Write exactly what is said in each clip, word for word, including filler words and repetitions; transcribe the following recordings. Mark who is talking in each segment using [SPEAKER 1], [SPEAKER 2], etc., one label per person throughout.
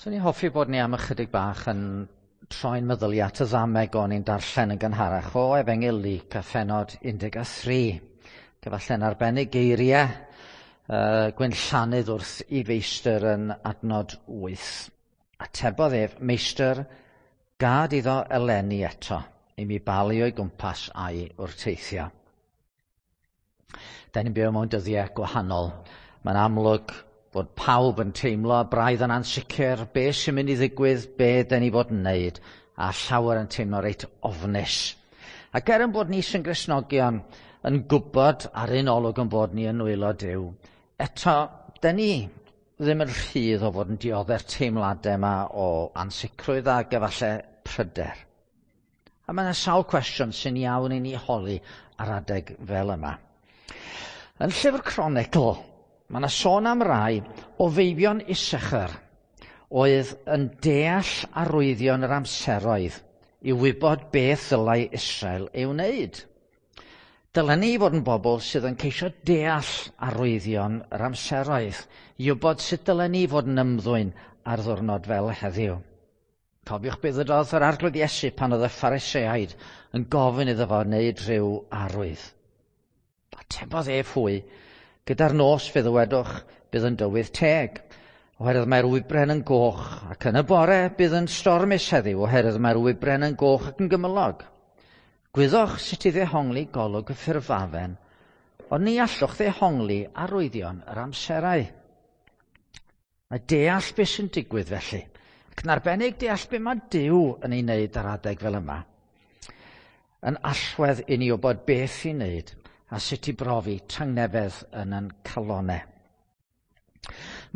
[SPEAKER 1] Swn i'n hoffi bod ni am ychydig bach yn troi'n meddyliau at y ddameg o'n i'n darllen yn gynharach o Efengyl Luc a phennod un deg tri. Gyfalle'n arbennig geiriau uh, Gwynllanydd wrth i feistr yn adnod wyth. Atebodd ef, "Meistr, gad iddo eleni eto, i mi balu o'i gwmpas a'i wrteithio." Da ni'n byw mewn dyddiau gwahanol. Mae'n amlwg bod pawb yn teimlo braidd yn ansicr be sy'n mynd i ddigwydd, be dyn ni fod yn wneud, a llawer yn teimlo reit ofnus. Ac er yn bod ni sy'n Gristnogion yn gwybod ar un olwg yn bod ni yn nwylo Duw, eto, dyn ni ddim yn rhydd o fod yn diodde'r teimladau yma o ansicrwydd ac efallai pryder. A mae yna sawl cwestiwn sy'n iawn i ni holi ar adeg fel yma. Yn llyfr Cronicl, mae yna sôn am rai o feibion Issachar oedd yn deall arwyddion yr amseroedd i wybod beth ddylai Israel ei wneud. Dylen ni fod yn bobl sydd yn ceisio deall arwyddion yr amseroedd i wybod sut dylen ni fod yn ymddwyn ar ddwrnod fel heddiw. Cofiwch beth ddywedodd yr Arglwydd Iesu pan oedd y Phariseaid yn gofyn iddo fo wneud rhyw arwydd. Atebodd ef hwy, "Gyda'r nos fe ddywedwch bydd yn dywydd teg, oherwydd mae'r wybren yn goch, ac yn y bore bydd yn stormus heddiw, oherwydd mae'r wybren yn goch ac yn gymylog. Gwyddoch sut i ddehongli golwg y ffurfafen, ond ni allwch ddehongli arwyddion yr amserau." Mae deall beth sy'n digwydd felly, ac yn arbennig deall beth mae Duw yn ei wneud ar adeg fel yma, yn allwedd i ni wybod beth i wneud a sut i brofi tangnefedd yn ein calonau.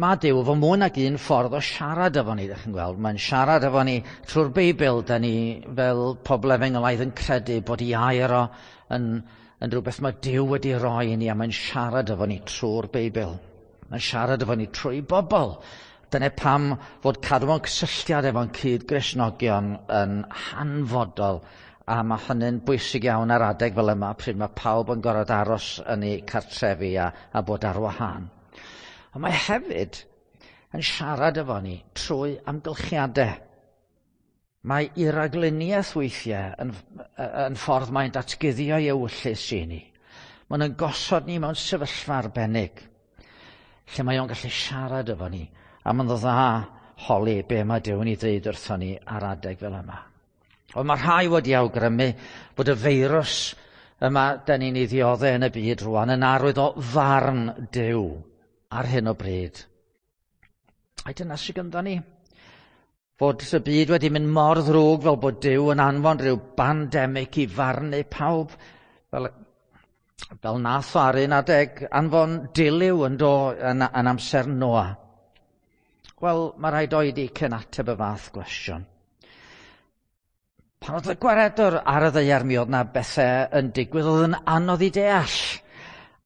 [SPEAKER 1] Mae Duw efo mwy nag un ffordd o siarad efo ni, ddech chi'n gweld. Mae'n siarad efo ni trwy'r Beibl. Da ni fel pobl efengylaidd yn credu bod ei air o yn, yn rhywbeth mae Duw wedi roi i ni, a mae'n siarad efo ni trwy'r Beibl. Mae'n siarad efo ni trwy bobl. Dyna pam fod cadw mewn cysylltiad efo'n cyd-Gristnogion yn hanfodol, a mae hynny'n bwysig iawn ar adeg fel yma, pryd mae pawb yn gorfod aros yn eu cartrefi a, a bod ar wahân. Ond mae hefyd yn siarad efo ni trwy amgylchiadau. Mae ei ragluniaeth weithiau yn, yn ffordd mae'n datguddio ei ewyllys i ni. Mae'n gosod ni mewn sefyllfa arbennig, lle mae o'n gallu siarad efo ni, a mae'n dda holi be mae Duw yn ei ddweud wrthon ni ar adeg fel yma. Ond mae rhai wedi awgrymu bod y feirws yma da ni'n ei ddioddef yn y byd rwan yn arwydd o farn Duw ar hyn o bryd. Ai dyna sydd gyda ni? Fod y byd wedi mynd mor ddrwg fel bod Duw yn anfon rhyw bandemig i farnu pawb, fel, fel nath o ar un adeg anfon dilyw yn, do, yn, yn amser Noa. Wel, mae rhaid oedi cyn ateb y fath gwestiwn. Pan oedd y Gwaredwr ar y ddaear, mi oedd na bethau yn digwydd oedd yn anodd i deall.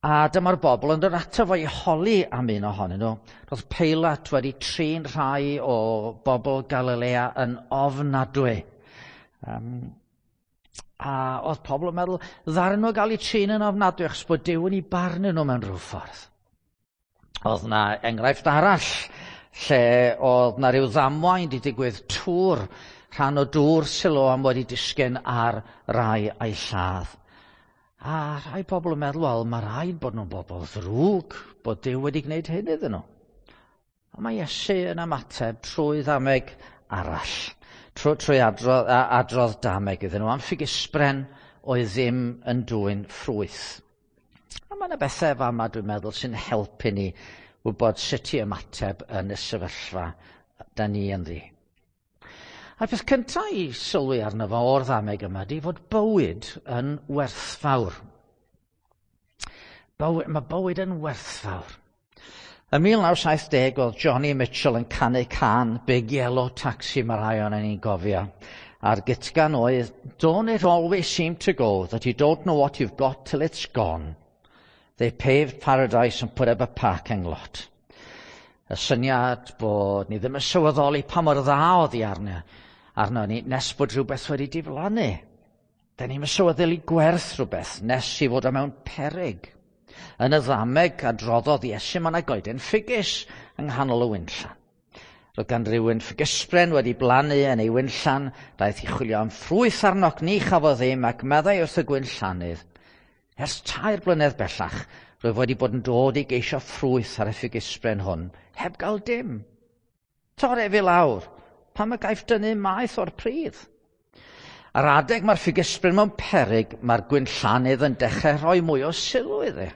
[SPEAKER 1] A dyma'r bobl yn dod ato fo i holi am un ohonyn nhw. Roedd Peilat wedi trin rhai o bobl Galilea yn ofnadwy. Um, a oedd pobl yn meddwl, ddaru nhw gael eu trin yn ofnadwy achos bod Duw yn eu barnu nhw mewn rhyw ffordd. Oedd na enghraifft arall lle oedd na rhyw ddamwain wedi digwydd, tŵr, rhan o dŵr Siloam wedi disgyn ar rai a'i lladd. A rhai pobl yn meddwl, wel, mae rhaid bod nhw'n bobl ddrwg, bod Duw wedi gwneud hyn iddyn nhw. Ond mae Iesu yn ymateb trwy ddameg arall, trwy, trwy adrodd, adrodd dameg iddyn nhw am ffigysbren oedd ddim yn dwyn ffrwyth. A mae yna bethau fama, dwi'n meddwl, sy'n helpu ni wybod sut i ymateb yn y sefyllfa da ni ynddi. A'r peth cyntaf i sylwi arno fo o'r ddameg yma ydy fod bywyd yn werthfawr. Bywyd, mae bywyd yn werthfawr. Ym mil naw saith deg oedd Joni Mitchell yn canu cân Big Yellow Taxi, mae rhai o'n ni'n gofio. A'r gytgan oedd, "Don't it always seem to go that you don't know what you've got till it's gone. They paved paradise and put up a parking lot." Y syniad bod ni ddim yn sylweddoli pa mor dda oedd hi arno, arno ni nes bod rhywbeth wedi diflannu. Da ni'n sylweddoli gwerth rhywbeth nes i fod o mewn peryg. Yn y ddameg adroddodd Iesu, mae yna goeden ffigys yng nghanol y winllan. Roedd gan rywun ffigysbren wedi blannu yn ei winllan, daeth i chwilio am ffrwyth arno ac ni chafodd ddim, ac meddai wrth y gwinllannydd, ers tair blynedd bellach, rwyf wedi bod yn dod i geisio ffrwyth ar y ffigysbren hwn, heb gael dim. Tor ef i lawr, pam y gaiff dynnu maeth o'r pridd? Ar adeg mae'r ffigysbren mewn peryg, mae'r gwinllannydd yn dechrau rhoi mwy o sylw iddi.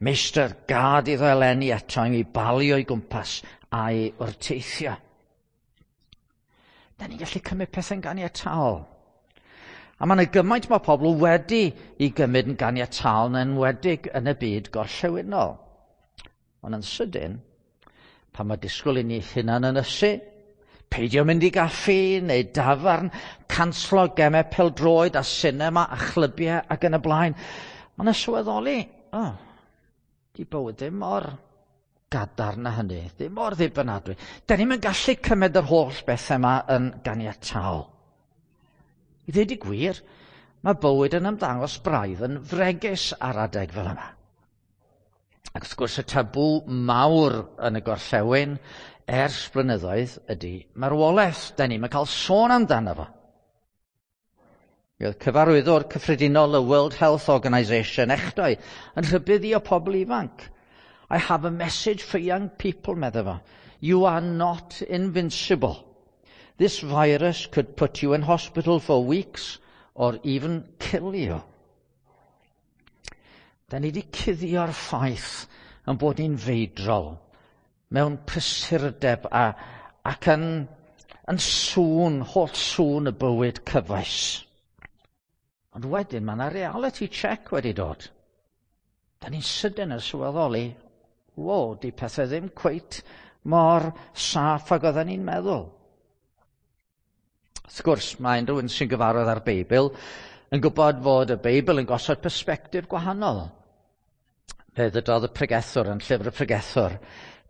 [SPEAKER 1] Meistr, gad iddo eleni eto i mi balu o'i gwmpas a'i wrteithio. Da ni'n gallu cymryd pethau'n ganiataol. A mae yna gymaint mae pobl wedi i gymryd yn ganiataol yn enwedig yn y byd gorllewinol. Ond yn sydyn, pan mae disgwyl i ni hunan ynysu, peidio mynd i gaffi neu dafarn, canslo gemau pêl-droed a sinema a chlybiau ac yn y blaen, mae yna sylweddoli, oh, di bywyd ddim mor gadarn na hynny, ddim mor ddibynadwy. Da ni'n gallu cymryd yr holl bethau yma yn ganiataol. I ddweud y gwir, mae bywyd yn ymddangos braidd yn fregus ar adeg fel yma. Ac wrth gwrs y tabw mawr yn y gorllewin ers blynyddoedd ydy marwolaeth. Da ni'n cael sôn amdano fo. Mi oedd cyfarwyddwr cyffredinol y World Health Organization echdoe yn rhybuddio pobl ifanc. I have a message for young people, medde fo. You are not invincible. This virus could put you in hospital for weeks or even kill you. Da ni wedi cuddio'r ffaith yn bod ni'n feidrol mewn prysurdeb a, ac yn, yn sŵn, holl sŵn y bywyd cyfoes. Ond wedyn mae yna reality check wedi dod. Da ni'n sydyn yn sylweddoli, wo, di pethau ddim cweit mor saff ag oedden ni'n meddwl. Wrth gwrs, mae unrhyw sy'n gyfarwydd â'r Beibl yn gwybod fod y Beibl yn gosod persbectif gwahanol. Fe ddydodd y pregethwr yn llyfr y pregethwr,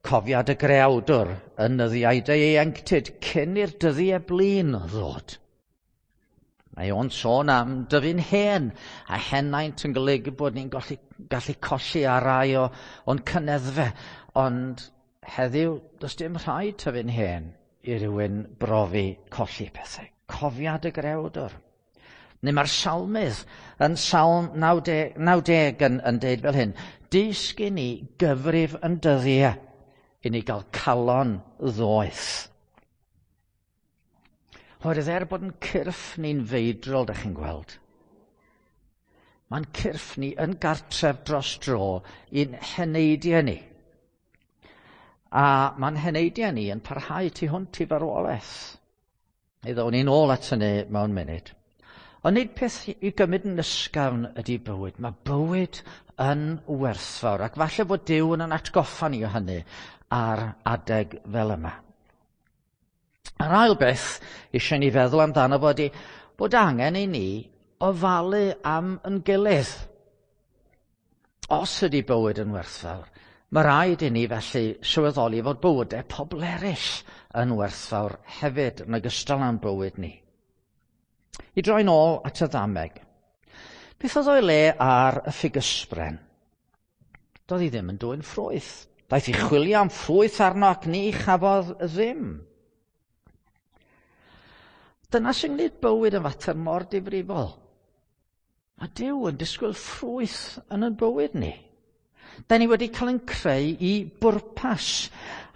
[SPEAKER 1] cofia dy greawdwr yn nyddiau dy ieuenctid cyn i'r dyddiau blin ddod. Mae o'n sôn am dyfu'n hen, a henaint yn golygu bod ni'n gallu, gallu colli ar rai o, o'n cyneddfe, ond heddiw does dim rhaid tyfu'n hen i rywun brofi colli pethau. Cofia dy grewdwr. Neu mae'r salmydd yn Salm naw deg yn, yn deud fel hyn, dysg i ni gyfrif yn dyddiau i ni gael calon ddoeth. Oherwydd er bod yn cyrff ni'n feidrol, da chi'n gweld, mae'n cyrff ni yn gartref dros dro i'n heneidiau ni. A mae'n heneidiau ni yn parhau tu hwnt i farwolaeth. Neu ddown ni'n ôl at hynny mewn munud. Ond nid peth i gymryd yn ysgafn ydy bywyd. Mae bywyd yn werthfawr, ac falle bod Duw yn atgoffa ni o hynny ar adeg fel yma. A'r ail beth eisiau ni feddwl amdano fo ydy bod angen i ni ofalu am yn gilydd. Os ydy bywyd yn werthfawr, mae rhaid i ni felly sylweddoli fod bywydau pobl eraill yn werthfawr hefyd yn ogystal â'n bywyd ni. I droi'n ôl at y ddameg. Beth oedd o'i le ar y ffigysbren? Doedd hi ddim yn dwyn ffrwyth. Daeth i chwilio am ffrwyth arno ac ni chafodd ddim. Dyna sy'n gwneud bywyd yn fater mor difrifol. Mae Duw yn disgwyl ffrwyth yn ein bywyd ni. Da ni wedi cael ein creu i bwrpas.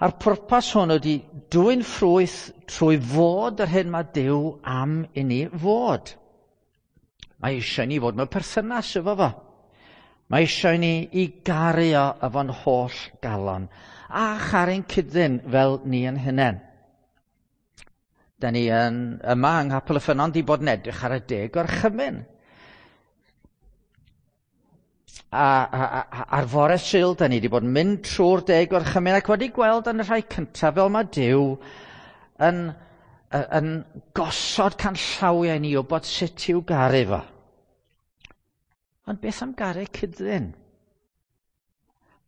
[SPEAKER 1] A'r pwrpas hwn ydy dwyn ffrwyth trwy fod yr hyn mae Duw am i ni fod. Mae eisiau ni fod mewn perthynas efo fo. Mae eisiau ni i garu o efo'n holl galon a charu'n cyd-ddyn fel ni yn hunain. Da ni yn, yma yng Nghapel y Ffynnon di bod yn edrych ar y deg gorchymyn. A, a, a, ar fore Sul, da ni wedi bod yn mynd trwy'r deg gorchymyn ac wedi gweld yn y rhai cyntaf fel mae Duw yn, yn gosod canllawiau ni o bod sut i'w garu fo. Ond beth am garu cyd-ddyn?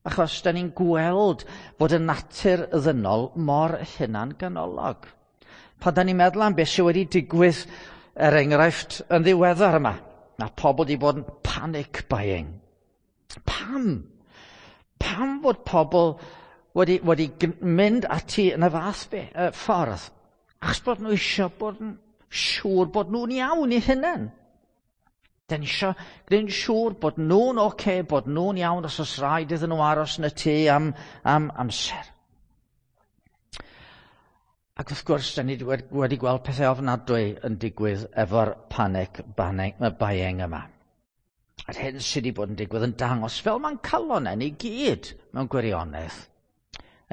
[SPEAKER 1] Achos da ni'n gweld fod y natur ddynol mor hunan-ganolog. Pan da ni'n meddwl am beth sydd wedi digwydd, er enghraifft, yn ddiweddar yma, mae pobl wedi bod yn panic buying. Pam? Pam fod pobl wedi, wedi mynd ati yn y fath be, y ffordd, achos bod nhw eisiau bod yn siŵr bod nhw'n iawn i hunain. Da ni eisiau gwneud yn siŵr bod nhw'n oce, okay, bod nhw'n iawn os oes rhaid iddyn nhw aros yn y tŷ am, am amser. Ac wrth gwrs, da ni wedi gweld pethau ofnadwy yn digwydd efo'r panic buying yma. A'r hyn sydd wedi bod yn digwydd yn dangos fel mae'n calonnau ni gyd mewn gwirionedd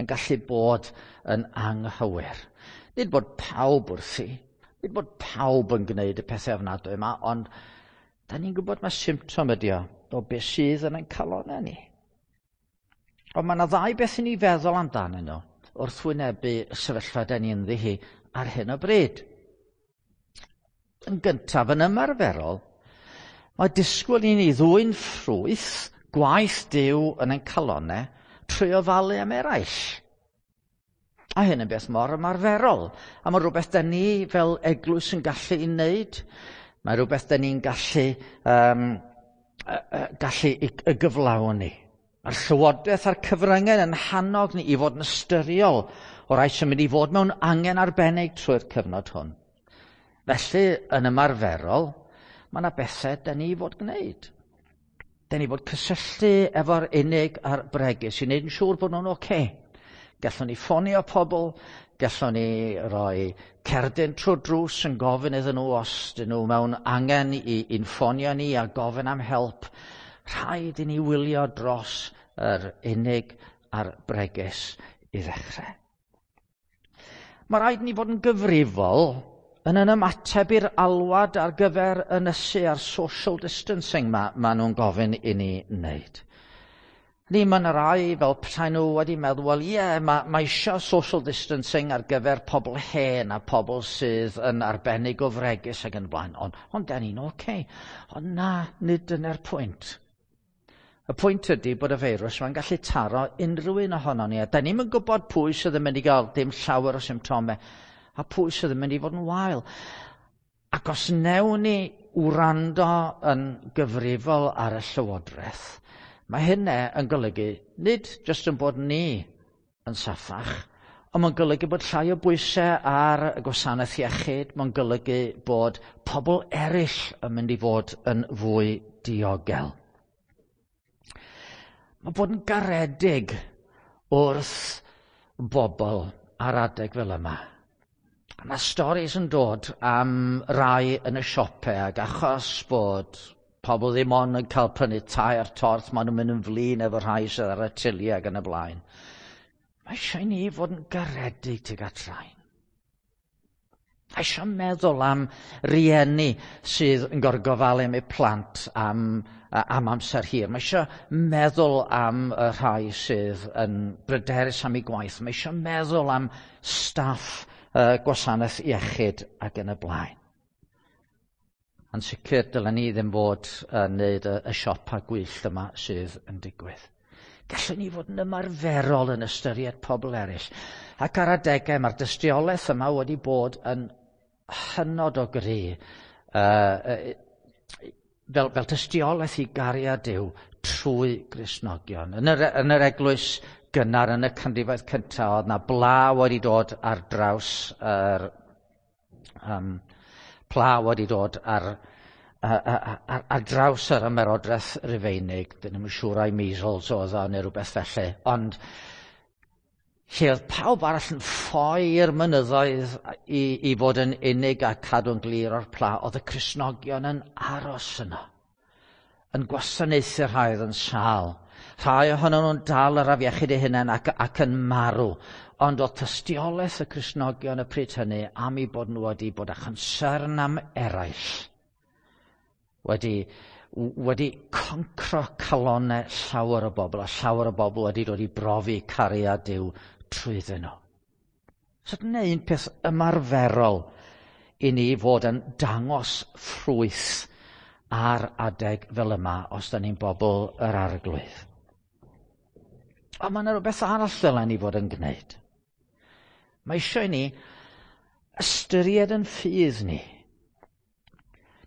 [SPEAKER 1] yn gallu bod yn anghywir. Nid bod pawb wrthi, nid bod pawb yn gwneud y pethau ofnadwy yma, ond da ni'n gwybod mae symptom ydi o, o beth sydd yn ein calonnau ni. Ond mae yna ddau beth i ni feddwl amdanyn nhw wrth wynebu y sefyllfa da ni ynddi hi ar hyn o bryd. Yn gyntaf, yn ymarferol, mae disgwyl i ni ddwyn ffrwyth gwaith Duw yn ein calonnau trwy ofalu am eraill. A hyn yn beth mor ymarferol. A mae rhywbeth da ni fel eglwys yn gallu ei wneud. Mae rhywbeth da ni'n gallu, um, gallu y gyflawni. Mae'r llywodraeth a'r cyfryngau yn hannog ni i fod yn ystyriol o rai sy'n mynd i fod mewn angen arbennig trwy'r cyfnod hwn. Felly, yn ymarferol, mae yna bethau da ni fod gwneud. Da ni fod cysylltu efo'r unig a'r bregus i wneud yn siŵr bod nhw'n oce. Okay. Gallwn ni ffonio pobl, gallwn ni roi cerdyn trwy drws yn gofyn iddyn nhw os dyn nhw mewn angen i, i'n ffonio ni a gofyn am help. Rhaid i ni wylio dros yr unig a'r bregus i ddechrau. Mae rhaid ni fod yn gyfrifol yn yn ymateb i'r alwad ar gyfer ynysu a'r social distancing ma, ma nhw'n gofyn i ni wneud. Ni, mae yna rai fel petai nhw wedi meddwl, wel ie, yeah, mae, mae eisiau social distancing ar gyfer pobl hen a pobl sydd yn arbennig o fregus ac yn blaen, ond, ond da ni'n oce. Okay. Ond na, nid dyna'r pwynt. Y pwynt ydy bod y feirws mae'n gallu taro unrhyw un ohono ni, a da ni'm yn gwybod pwy sydd yn mynd i gael dim llawer o symptomau, a pwy sydd yn mynd i fod yn wael. Ac os newn ni wrando yn gyfrifol ar y llywodraeth, mae hynny yn golygu nid jyst yn bod ni yn saffach, ond mae'n golygu bod llai o bwysau ar y gwasanaeth iechyd, mae'n golygu bod pobl eraill yn mynd i fod yn fwy diogel. Mae bod yn garedig wrth bobl ar adeg fel yma. Mae storis yn dod am rai yn y siopau ac achos bod pobl ddim ond yn cael prynu tair torth, maen nhw'n mynd yn flin efo rhai sydd ar y tiliau ac yn y blaen. Mae eisiau ni fod yn garedig tuag at rhain. Mae eisiau meddwl am rieni sydd yn gorgofalu am eu plant am, am amser hir. Mae eisiau meddwl am y rhai sydd yn bryderus am eu gwaith. Mae eisiau meddwl am staff uh, gwasanaeth iechyd ac yn y blaen. Yn sicr, dylen ni ddim fod yn wneud y, y siopa gwyllt yma sydd yn digwydd. Gallwn ni fod yn ymarferol yn ystyried pobl eraill. Ac ar adegau mae'r dystiolaeth yma wedi bod yn hynod o gry, uh, fel, fel tystiolaeth i gariad Duw trwy Gristnogion. Yn yr, yn yr eglwys gynnar yn y canrifoedd cyntaf, oedd na bla wedi dod ar draws yr, um, pla wedi dod ar, ar, ar, ar draws yr ymerodraeth Rufeinig. Dyn nhw'n siŵr ai measles oedd o neu rhywbeth felly. Ond lle oedd pawb arall yn ffoi i'r mynyddoedd i, i fod yn unig a cadw'n glir o'r pla, oedd y Cristnogion yn aros yno, yn gwasanaethu rhai oedd yn sâl. Rhai ohonyn nhw'n dal yr afiechyd eu hunain ac, ac yn marw. Ond oedd tystiolaeth y Cristnogion y pryd hynny am eu bod nhw wedi bod â chonsern am eraill, wedi, wedi concro calonnau llawer o bobl, a llawer o bobl wedi dod i brofi cariad Duw trwyddyn nhw. So dyna un peth ymarferol i ni fod yn dangos ffrwyth ar adeg fel yma os da ni'n bobl yr Arglwydd. Ond mae yna rhywbeth arall dylen ni fod yn gwneud. Mae eisiau i ni ystyried yn ffydd ni.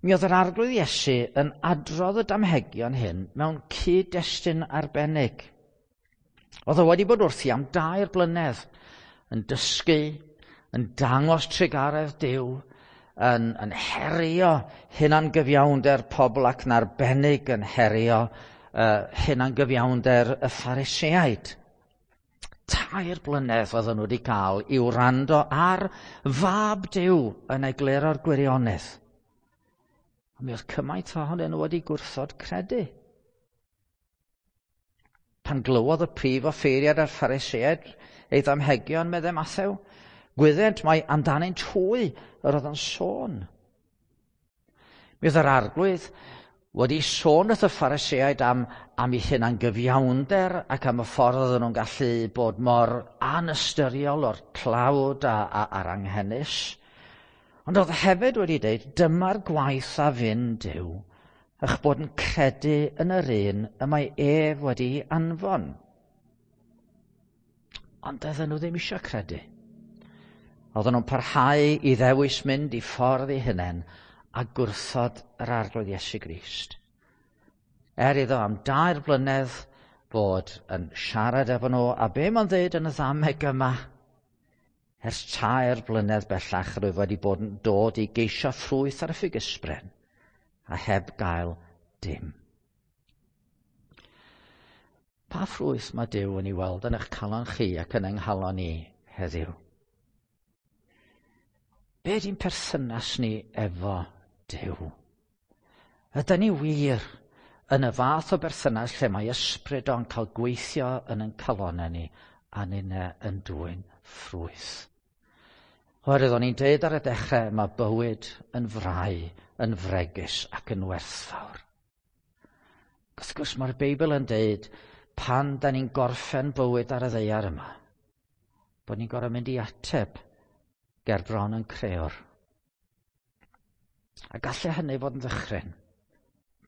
[SPEAKER 1] Mi oedd yr Arglwydd Iesu yn adrodd y damhegion hyn mewn cyd-destun arbennig. Oedd o wedi bod wrthi am dair blynedd yn dysgu, yn dangos trugaredd Duw, yn, yn herio hunangyfiawnder pobl ac yn arbennig yn herio uh, hunangyfiawnder y Phariseaid. Tair blynedd oedden nhw wedi cael i wrando ar fab Duw yn egluro'r gwirionedd. A mi oedd cymaint ohonyn nhw wedi gwrthod credu. Pan glywodd y prif offeiriad a'r Phariseaid ei ddamhegion, meddai Mathew, gwyddent mai amdanynt hwy yr oedd yn sôn. Mi oedd yr Arglwydd wedi sôn wrth y Phariseaid am, am eu hunangyfiawnder ac am y ffordd oedden nhw'n gallu bod mor anystyriol o'r tlawd a, a, a'r anghenus. Ond oedd hefyd wedi dweud, dyma'r gwaith a fyn Duw, eich bod yn credu yn yr un y mae ef wedi anfon. Ond doedden nhw ddim eisiau credu. Oedden nhw'n parhau i ddewis mynd i ffordd eu hunain a gwrthod yr Arglwydd Iesu Grist. Er iddo am dair blynedd fod yn siarad efo nhw, a be mae'n dweud yn y ddameg yma? Ers tair blynedd bellach rwyf wedi bod yn dod i geisio ffrwyth ar y ffigysbren, a heb gael dim. Pa ffrwyth mae Duw yn ei weld yn eich calon chi ac yn yng nghalon i heddiw? Be ydy'n perthynas ni efo Duw? Ydyn ni wir yn y fath o berthynas lle mae ysbryd o'n cael gweithio yn ein calonau ni a ninne yn dwyn ffrwyth? Oherwydd o'n i'n deud ar y dechrau, mae bywyd yn frau, yn fregus ac yn werthfawr. Wrth gwrs mae'r Beibl yn deud pan da ni'n gorffen bywyd ar y ddaear yma, bod ni'n gorfod mynd i ateb ger bron yn creor. A gallai hynny fod yn ddychryn.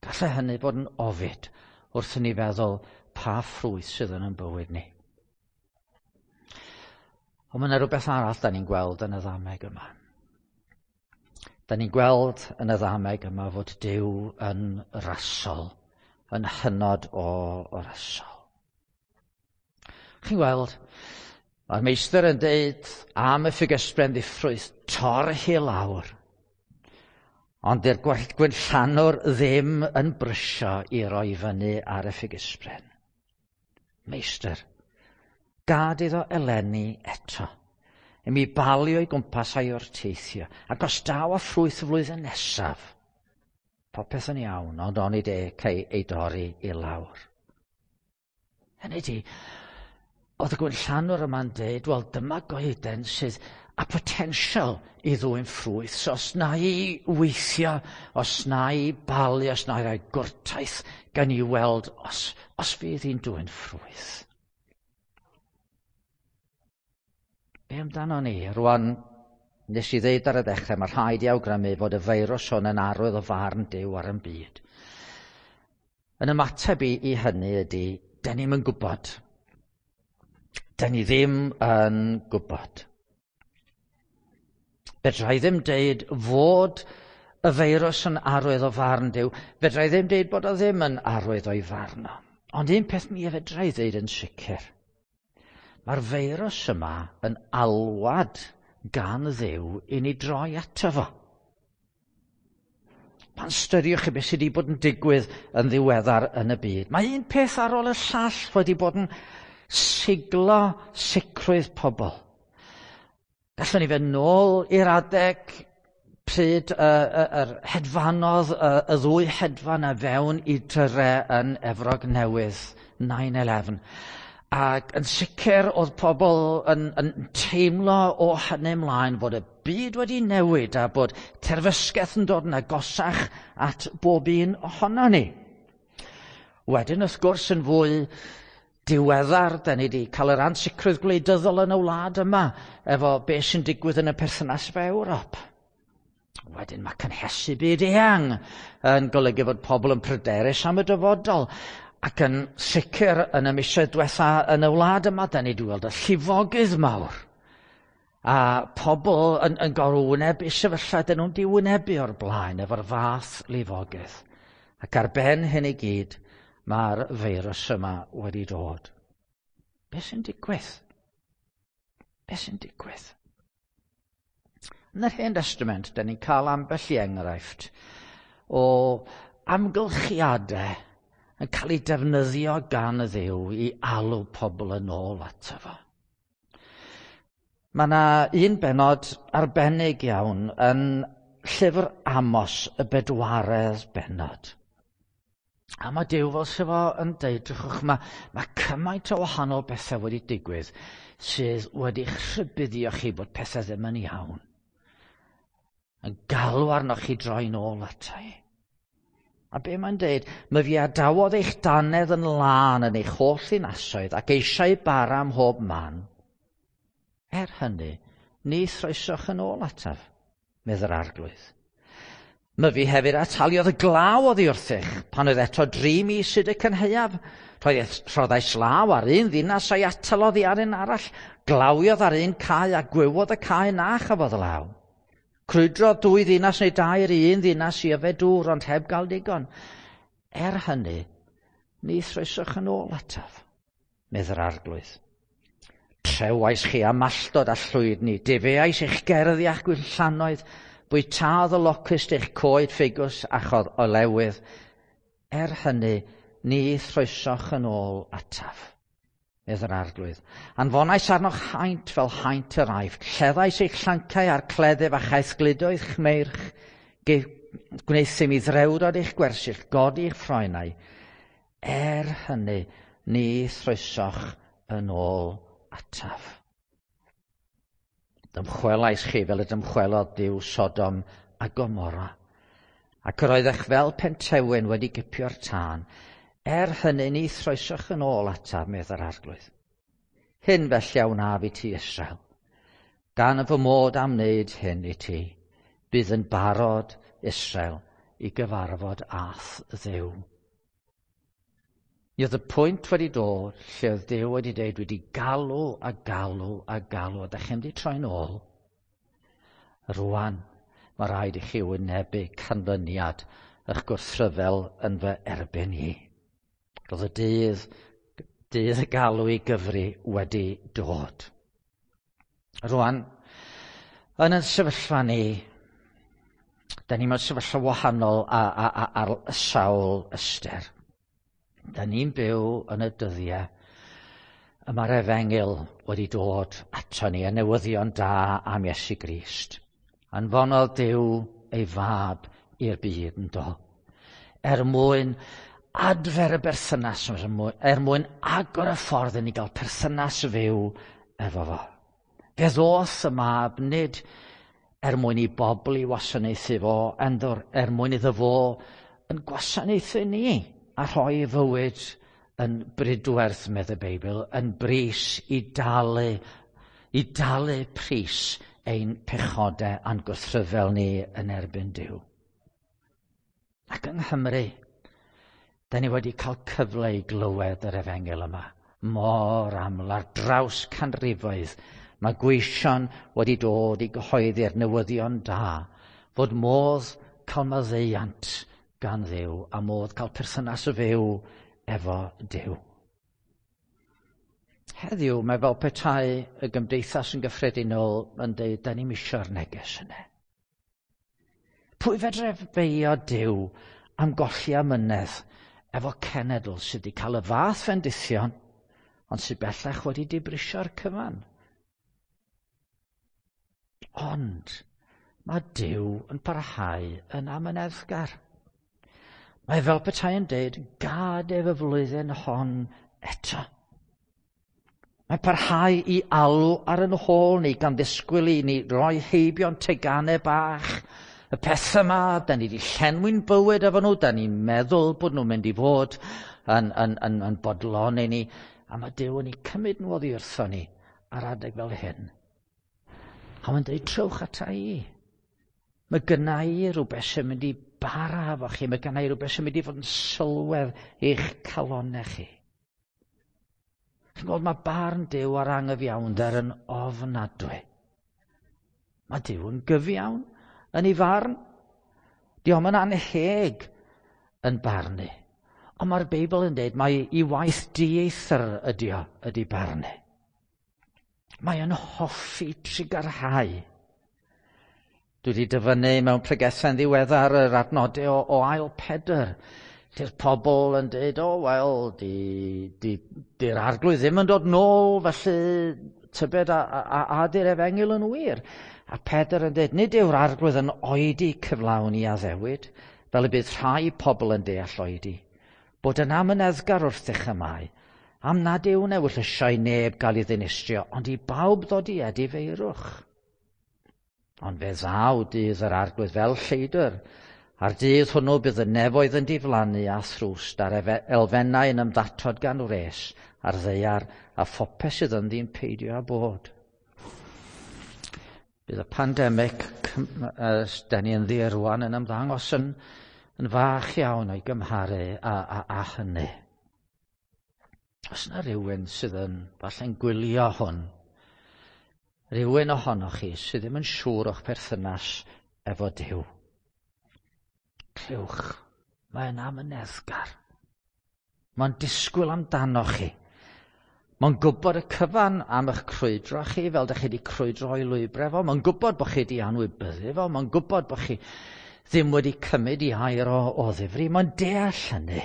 [SPEAKER 1] Gallai hynny fod yn ofid wrth i ni feddwl pa ffrwyth sydd yn ein bywyd ni. Ond mae yna rhywbeth arall da ni'n gweld yn y ddameg yma. Da ni'n gweld yn y ddameg yma fod Duw yn rasol, yn hynod o, o rasol. Chi'n gweld, mae'r meistr yn deud am y ffigysbren ddiffrwyth, tor hi lawr. Ond dy'r gwynllanwr ddim yn brysio i roi fyny ar y ffigysbren. Meistr, gad iddo eleni eto, i mi balio i gwmpas a'i wrteithio, ac os daw â ffrwyth y flwyddyn nesaf, popeth yn iawn, ond onid e cei ei dorri i lawr. Hynny ydi, oedd y gwynllanwr yma'n deud, wel dyma goeden sydd â potensial i ddwyn ffrwyth, so os na i weithio, os na i balu, os na i roi gwrtaith, gan i weld os, os fydd hi'n dwyn ffrwyth. Be amdano ni? Rwan, nes i ddeud ar y dechrau, mae rhaid i awgrymu fod y feirws hwn yn arwydd o farn Duw ar ein byd. Yn ymateb i, i hynny ydy, dyn ni'm yn gwybod. Dyn ni ddim yn gwybod. Fedra i ddim deud fod y feirws yn arwydd o farn Duw. Fedra i ddim deud bod o ddim yn arwydd o'i farn o. Ond un peth mi fedra i ddeud yn sicr. Mae'r feirws yma yn alwad gan Dduw i ni droi ato fo. Pan styriwch chi beth sydd wedi bod yn digwydd yn ddiweddar yn y byd, mae un peth ar ôl y llall wedi bod yn siglo sicrwydd pobl. Gallwn ni fynd nôl i'r adeg pryd y, y, yr hedfanodd y, y ddwy hedfan a fewn i Dre yn Efrog Newydd, nine eleven. Ac yn sicr oedd pobl yn, yn teimlo o hynny ymlaen fod y byd wedi newid a bod terfysgaeth yn dod yn agosach at bob un ohono ni. Wedyn, wrth gwrs, yn fwy diweddar, da ni wedi cael yr ansicrwydd gwleidyddol yn y wlad yma efo beth sy'n digwydd yn y perthynas efo Ewrop. Wedyn mae cynhesu byd eang yn golygu fod pobl yn pryderus am y dyfodol. Ac yn sicr yn y misoedd diwetha yn y wlad yma, da ni wedi gweld y llifogydd mawr. A pobl yn, yn gorfod wynebu sefyllfa dyn nhw'n di wynebu o'r blaen efo'r fath lifogydd. Ac ar ben hyn i gyd, mae'r feirws yma wedi dod. Be sy'n digwydd? Be sy'n digwydd? Yn yr Hen Testament, da ni'n cael ambell i enghraifft o amgylchiadau yn cael ei defnyddio gan y Dduw i alw pobl yn ôl ato fo. Mae yna un benod arbennig iawn yn llyfr Amos, y bedwaredd benod. A mae Duw fel sydd fo yn deud, drychwch, mae, mae cymaint o wahanol bethau wedi digwydd sydd wedi rhybuddio chi bod pethau ddim yn iawn. Yn galw arnoch chi droi nôl ata i. A be mae'n deud? Mae fi adawodd eich dannedd yn lân yn eich holl ddinasoedd ac eisiau bara ym mhob man. Er hynny, ni throesoch yn ôl ataf, medd yr Arglwydd. Mae fi hefyd ataliodd y glaw oddi wrthych pan oedd eto dri mis hyd y cynhaeaf. Rhoddais law ar un ddinas a'i atal oddi ar un arall. Glawiodd ar un cae a gwywodd y cae na chafodd law. Crwydrodd dwy ddinas neu dair i un ddinas i yfed dŵr, ond heb gael digon. Er hynny, ni throesoch yn ôl ataf, medd yr Arglwydd. Trewais chi am malltod a llwydni, difeais eich gerddi a'ch gwinllannoedd, bwytaodd y locust eich coed ffigws a chodd olewydd. Er hynny, ni throesoch yn ôl ataf, medd yr Arglwydd. Anfonais arnoch haint fel haint yr Aifft, lleddais eich llancau a'r cleddyf a chaethgludoedd chmeirch, gwneuthum i ddrewdod eich gwersyll, godi eich ffroenau. Er hynny, ni throesoch yn ôl ataf. Dymchwelais chi fel y dymchwelodd Duw Sodom a Gomorra, ac yr oeddech fel pentewyn wedi gipio'r tân. Er hynny, ni throesoch yn ôl ataf, medd yr Arglwydd. Hyn felly a wnaf i ti, Israel. Gan fy mod am wneud hyn i ti, bydd yn barod, Israel, i gyfarfod â'th Dduw. Mi oedd y pwynt wedi dod lle oedd Duw wedi dweud, wedi galw a galw a galw, a da chi'n wedi troi'n ôl. Rwan, mae rhaid i chi wynebu canlyniad eich gwrthryfel yn fy erbyn i. Roedd y dydd, dydd y galw i gyfri wedi dod. Rwan, yn y sefyllfa ni, da ni mewn sefyllfa wahanol ar sawl ystyr. Da ni'n byw yn y dyddiau y mae'r efengyl wedi dod ato ni, y newyddion da am Iesu Grist. Anfonodd Duw ei fab i'r byd yn do. Er mwyn adfer y berthynas, er mwyn agor y ffordd i ni gael perthynas fyw efo fo. Fe ddoth y mab nid er mwyn i bobl i wasanaethu fo, er mwyn iddo fo yn gwasanaethu ni a rhoi ei fywyd yn bridwerth, medd y Beibl, yn bris i dalu, i dalu pris ein pechodau a'n gwrthryfel ni yn erbyn Duw. Ac yng Nghymru, da ni wedi cael cyfle i glywed yr efengyl yma. Mor aml ar draws canrifoedd, mae gweision wedi dod i gyhoeddi'r newyddion da, fod modd cael maddeuant gan Dduw a modd cael perthynas fyw efo Duw. Heddiw mae fel petai y gymdeithas yn gyffredinol yn dweud, da ni'm isio'r neges yna. Pwy fedre feio Duw am golli amynedd efo cenedl sydd wedi cael y fath fendithion, ond sydd bellach wedi dibrisio'r cyfan? Ond mae Duw yn parhau yn amyneddgar. Mae fel petai yn deud, gad ef y flwyddyn hon eto. Mae parhau i alw ar yn hôl ni gan ddisgwyl i ni roi heibio'n teganau bach. Y pethau yma, da ni wedi llenwi'n bywyd efo nhw, da ni'n meddwl bod nhw'n mynd i fod yn, yn, yn, yn bodloni ni. A mae Duw yn ei cymryd nhw oddi wrtho ni ar adeg fel hyn. A mae'n dweud, trowch ata i. Mae gynna i rhywbeth sy'n mynd i bara efo chi. Mae gynna i rhywbeth sy'n mynd i fod yn sylwedd i'ch calonnau chi. Chi'n gweld, mae barn Duw ar angyfiawnder yn ofnadwy. Mae Duw yn gyfiawn yn ei farn. Dio'm yn anheg yn barnu. Ond mae'r Beibl yn dweud mai i waith dieithr ydy o, ydy barnu. Mae yn hoffi trugarhau. Dwi wedi dyfynnu mewn pregethau'n ddiweddar yr adnodau o, o ail Pedr, lle'r pobl yn dweud, o, wel, di, di, di'r arglwydd ddim yn dod nôl, felly tybed a, a, a di'r efengyl yn wir. A Pedr yn dweud, nid yw'r arglwydd yn oedi cyflawn i addewid, fel y bydd rhai pobl yn deall oedi. Bod yn amyneddgar wrthych y mae, am nad yw'n ewyllysio i neb gael ei ddinistrio, ond i bawb ddod i edifeirwch. Ond fe ddaw dydd yr arglwydd fel lleidr, a'r dydd hwnnw bydd y nefoedd yn diflannu a thrwst, a'r elfennau yn ymddatod gan wres, a'r ddaear a phopeth sydd ynddi'n peidio â bod. Bydd y pandemig da ni ynddi rwan yn ymddangos yn, yn fach iawn o'i gymharu â, â, â hynny. Os yna rhywun sydd yn falle'n gwylio hwn, rhywun ohonoch chi sydd ddim yn siŵr o'ch perthynas efo Duw, clywch, mae'n amyneddgar. Mae'n disgwyl amdanoch chi. Mae'n gwybod y cyfan am eich crwydro chi, fel ydych chi wedi crwydro o'i lwybrau fo. Mae'n gwybod bod chi wedi anwybyddu fo. Mae'n gwybod bod chi ddim wedi cymryd i air o, o ddifri. Mae'n deall hynny.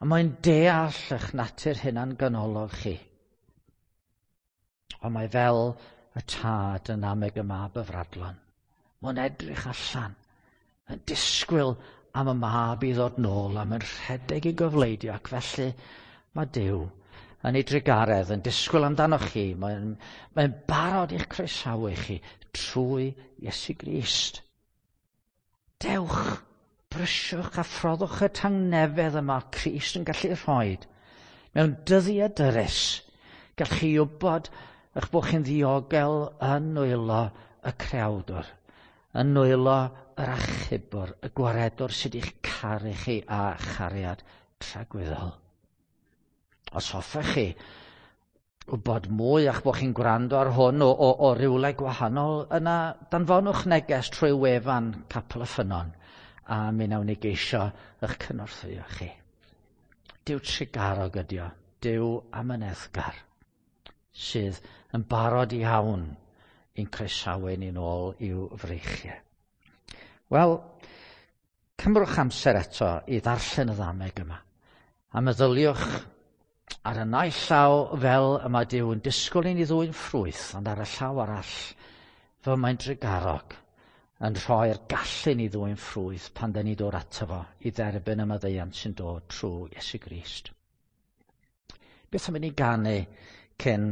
[SPEAKER 1] A mae'n deall eich natur hunan ganolog chi. Ond mae fel y tad yn ameg y mab y fradlon. Mae'n edrych allan, yn disgwyl am y mab i ddod nôl, a mae'n rhedeg i gofleidio, ac felly mae Duw yn ei drugaredd yn disgwyl amdanoch chi. Mae'n mae barod i'ch croesawu chi trwy Iesu Grist. Dewch, brysiwch a phroddwch y tangnefedd yma Crist yn gallu rhoi. Mewn dyddiau dyrys, gallwch chi wybod eich bod chi'n ddiogel yn nwylo y creawdwr, yn nwylo yr achubwr, y gwaredwr sydd i'ch caru chi a chariad tragwyddol. Os hoffech chi wybod mwy a'ch bod chi'n gwrando ar hwn o, o, o rywle gwahanol, yna danfonwch neges trwy wefan Capel y Ffynnon a mi wnawn ni geisio eich cynorthwyo chi. Duw trugarog ydi o, Duw amyneddgar, sydd yn barod iawn i'n croesawu ni'n ôl i'w freichiau. Wel, cymrwch amser eto i ddarllen y ddameg yma, a meddyliwch ar y naill llaw fel y mae Duw yn disgwyl i ni ddwyn ffrwyth, ond ar y llaw arall, fel mae'n drugarog yn rhoi'r gallu ni ddwyn ffrwyth pan da ni dod ato fo i dderbyn y maddeuant sy'n dod trwy Iesu Grist. Beth am i ni ganu cyn